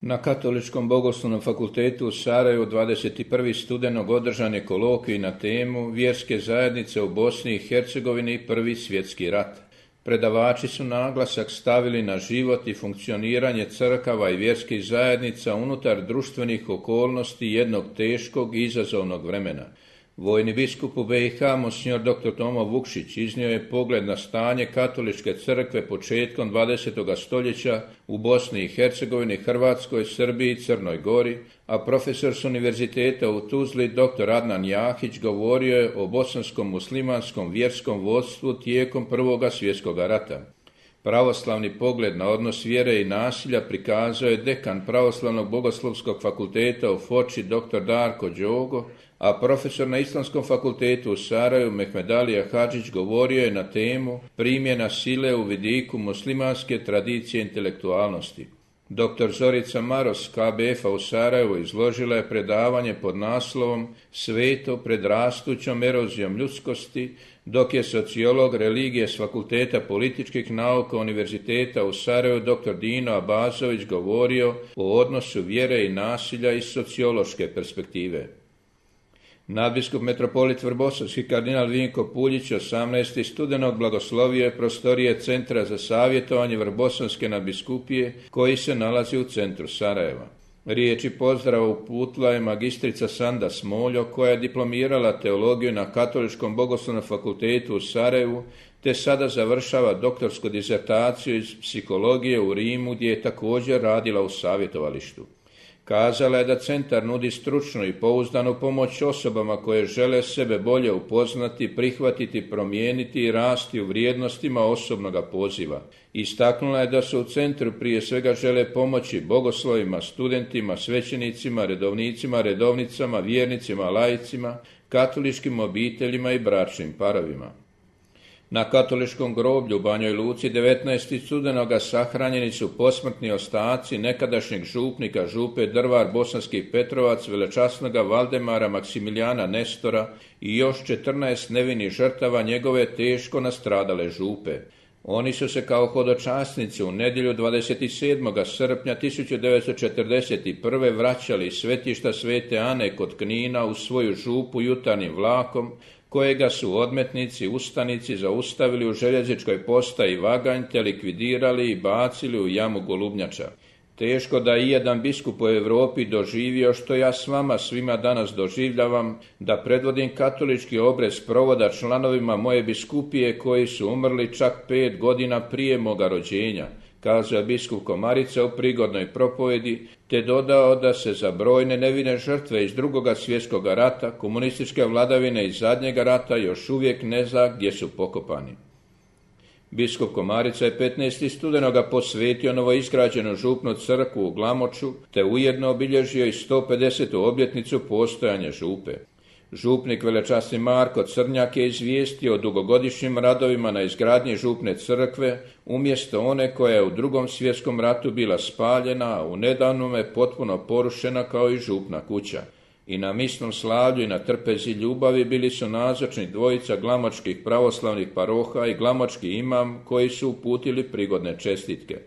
Na Katoličkom bogoslovnom fakultetu u Sarajevu 21. studenog održan je kolokvij na temu Vjerske zajednice u Bosni i Hercegovini i Prvi svjetski rat. Predavači su naglasak stavili na život i funkcioniranje crkava i vjerskih zajednica unutar društvenih okolnosti jednog teškog i izazovnog vremena. Vojni biskup u BiH, monsignor dr. Tomo Vukšić, iznio je pogled na stanje katoličke crkve početkom 20. stoljeća u Bosni i Hercegovini, Hrvatskoj, Srbiji i Crnoj Gori, a profesor s univerziteta u Tuzli, dr. Adnan Jahić, govorio je o bosanskom muslimanskom vjerskom vodstvu tijekom Prvoga svjetskog rata. Pravoslavni pogled na odnos vjere i nasilja prikazao je dekan Pravoslavnog bogoslovskog fakulteta u Foči dr. Darko Đogo, a profesor na Islamskom fakultetu u Sarajevu Mehmedalija Hadžić govorio je na temu primjena sile u vidiku muslimanske tradicije intelektualnosti. Dr. Zorica Maros KBF-a u Sarajevu izložila je predavanje pod naslovom Sveto pred rastućom erozijom ljudskosti, dok je sociolog religije s Fakulteta političkih nauka Univerziteta u Sarajevu dr. Dino Abazović govorio o odnosu vjere i nasilja iz sociološke perspektive. Nadbiskup metropolit Vrbosavski kardinal Vinko Puljić 18. studenog blagoslovio je prostorije Centra za savjetovanje Vrbosavske nadbiskupije koji se nalazi u centru Sarajeva. Riječi pozdrava uputila je magistrica Sanda Smoljo koja je diplomirala teologiju na Katoličkom bogoslovnom fakultetu u Sarajevu te sada završava doktorsku disertaciju iz psihologije u Rimu gdje je također radila u savjetovalištu. Kazala je da centar nudi stručnu i pouzdanu pomoć osobama koje žele sebe bolje upoznati, prihvatiti, promijeniti i rasti u vrijednostima osobnoga poziva. Istaknula je da se u centru prije svega žele pomoći bogoslovima, studentima, svećenicima, redovnicima, redovnicama, vjernicima, laicima, katoličkim obiteljima i bračnim parovima. Na katoličkom groblju u Banjoj Luci 19. studenoga sahranjeni su posmrtni ostaci nekadašnjeg župnika župe Drvar Bosanski Petrovac, velečasnoga Valdemara Maksimilijana Nestora i još 14 nevinih žrtava njegove teško nastradale župe. Oni su se kao hodočasnici u nedjelju 27. srpnja 1941. vraćali iz svetišta Svete Ane kod Knina u svoju župu jutarnjim vlakom, kojega su odmetnici, ustanici zaustavili u željezničkoj postaji Vaganj te likvidirali i bacili u jamu Golubnjača. Teško da i jedan biskup u Europi doživio što ja s vama svima danas doživljavam, da predvodim katolički obrez provoda članovima moje biskupije koji su umrli čak 5 godina prije moga rođenja, kazao je biskup Komarica u prigodnoj propovjedi, te dodao da se za brojne nevine žrtve iz Drugoga svjetskog rata, komunističke vladavine i zadnjega rata još uvijek ne zna gdje su pokopani. Biskup Komarica je 15. studenoga posvetio novoizgrađenu župnu crkvu u Glamoču, te ujedno obilježio i 150. obljetnicu postojanja župe. Župnik velečasni Marko Crnjak je izvijestio o dugogodišnjim radovima na izgradnji župne crkve, umjesto one koja je u Drugom svjetskom ratu bila spaljena, a u nedavnome potpuno porušena kao i župna kuća. I na misnom slavlju i na trpezi ljubavi bili su nazočni dvojica glamočkih pravoslavnih paroha i glamočki imam koji su uputili prigodne čestitke.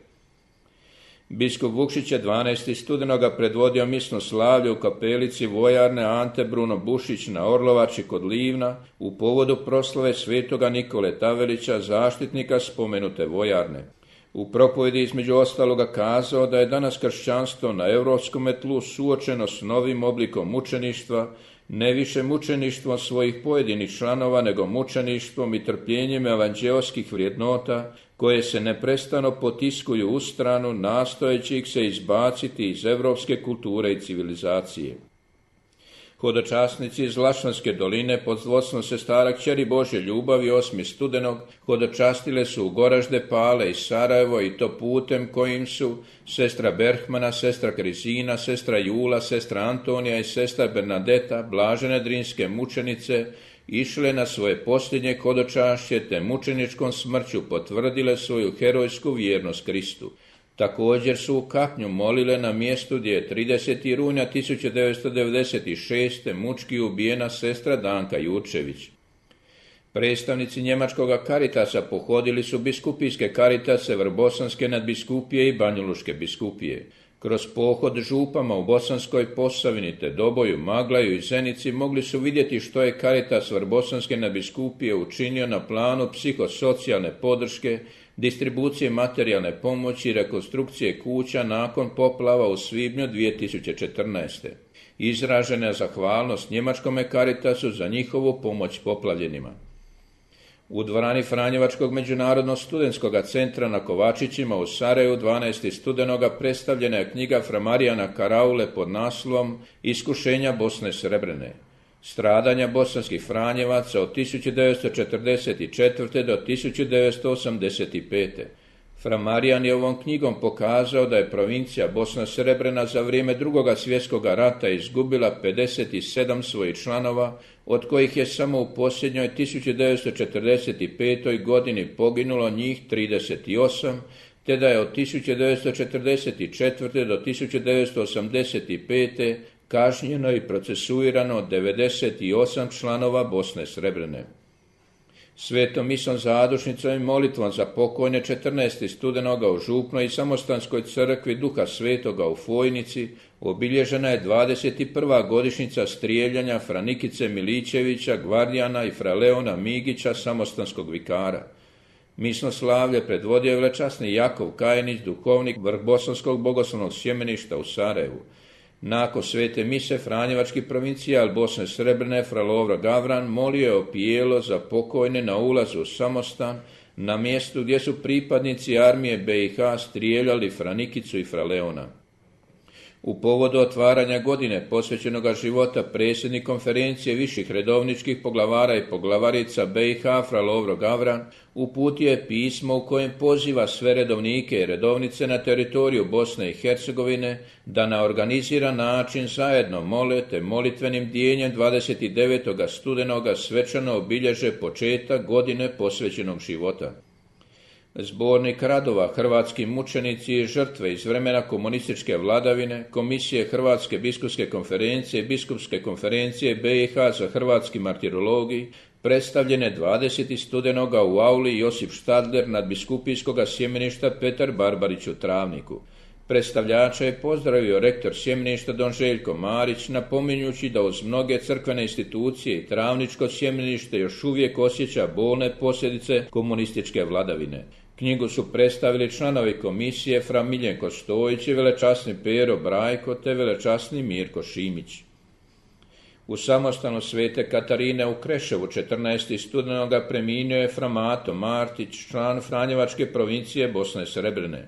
Biskup Vukšić je 12. studenoga predvodio misno slavlje u kapelici vojarne Ante Bruno Bušić na Orlovači kod Livna u povodu proslave svetoga Nikole Tavelića, zaštitnika spomenute vojarne. U propovjedi između ostaloga kazao da je danas kršćanstvo na europskom tlu suočeno s novim oblikom mučeništva, ne više mučeništvom svojih pojedinih članova, nego mučeništvom i trpljenjem evanđeoskih vrijednota koje se neprestano potiskuju u stranu, nastojeći ih se izbaciti iz europske kulture i civilizacije. Hodočasnici iz Lašvanske doline pod vodstvom sestara Kćeri Božje ljubavi 8. studenog hodočastile su u Goražde, Pale i Sarajevo i to putem kojim su sestra Berhmana, sestra Krizina, sestra Jula, sestra Antonija i sestra Bernadeta, blažene drinske mučenice, išle na svoje posljednje hodočašće te mučeničkom smrću potvrdile svoju herojsku vjernost Kristu. Također su u Kapnju molile na mjestu gdje je 30. rujna 1996. mučki ubijena sestra Danka Jurčević. Predstavnici njemačkog Karitasa pohodili su biskupijske Karitase Vrbosanske nadbiskupije i Banjalučke biskupije. Kroz pohod župama u Bosanskoj Posavini te Doboju, Maglaju i Zenici mogli su vidjeti što je Caritas Vrbosanske nadbiskupije učinio na planu psihosocijalne podrške, distribucije materijalne pomoći i rekonstrukcije kuća nakon poplava u svibnju 2014. Izražena je zahvalnost njemačkome Caritasu za njihovu pomoć poplavljenima. U dvorani Franjevačkog međunarodnog studentskog centra na Kovačićima u Sarajevu 12. studenoga predstavljena je knjiga Fra Marijana Karaule pod naslovom Iskušenja Bosne Srebrene. Stradanja bosanskih Franjevaca od 1944. do 1985. Fra Marijan je ovom knjigom pokazao da je provincija Bosna Srebrena za vrijeme Drugog svjetskog rata izgubila 57 svojih članova, od kojih je samo u posljednjoj 1945. godini poginulo njih 38, te da je od 1944. do 1985. kažnjeno i procesuirano 98 članova Bosne Srebrene. Svetom misom zadušnicom i molitvom za pokojne 14. studenoga u Župnoj i Samostanskoj crkvi Duha Svetoga u Fojnici obilježena je 21. godišnjica strijeljanja Fra Nikice Miličevića, gvardijana i Fra Leona Migića, samostanskog vikara. Misno slavlje predvodio je velečasni Jakov Kajinić, duhovnik Vrhbosanskog bogoslovnog sjemeništa u Sarajevu. Nakon svete mise Franjevački provincijal Bosne Srebrene Fra Lovro Gavran molio je opijelo za pokojne na ulazu u Samostan, na mjestu gdje su pripadnici armije BiH strijeljali Fra Nikicu i Fra Leona. U povodu otvaranja godine posvećenoga života predsjednik konferencije viših redovničkih poglavara i poglavarica BiH Fra Lovro Gavran uputio je pismo u kojem poziva sve redovnike i redovnice na teritoriju Bosne i Hercegovine da na organiziran način zajedno mole te molitvenim dijenjem 29. studenoga svečano obilježe početak godine posvećenog života. Zbornik radova Hrvatski mučenici i žrtve iz vremena komunističke vladavine, Komisije Hrvatske biskupske konferencije i Biskupske konferencije BiH za hrvatski martirologij, predstavljene 20. studenoga u auli Josip Štadler nadbiskupijskog sjemeništa Petar Barbarić u Travniku. Predstavljača je pozdravio rektor sjemeništa don Željko Marić, napominjući da uz mnoge crkvene institucije i Travničko sjemenište još uvijek osjeća bolne posljedice komunističke vladavine. Knjigu su predstavili članovi komisije Fra Miljenko Stojić i velečasni Pero Brajko te velečasni Mirko Šimić. U samostanu Svete Katarine u Kreševu 14. studenoga preminuo je Fra Mato Martić, član Franjevačke provincije Bosne Srebrene.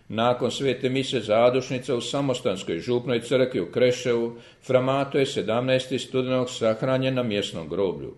Nakon svete mise zadušnica u Samostanskoj župnoj crkvi u Kreševu, Fra Mato je 17. studenog sahranjen na mjesnom groblju.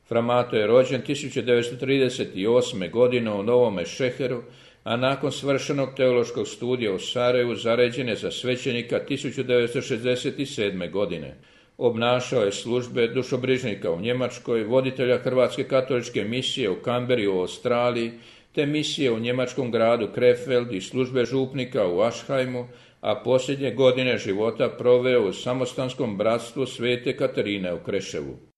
Fra Mato je rođen 1938. godine u Novome Šeheru, a nakon svršenog teološkog studija u Sarajevu zaređen je za svećenika 1967. godine. Obnašao je službe dušobrižnika u Njemačkoj, voditelja Hrvatske katoličke misije u Canberri u Australiji, te misije u njemačkom gradu Krefeld i službe župnika u Aschheimu, a posljednje godine života proveo u samostanskom bratstvu Svete Katarine u Kreševu.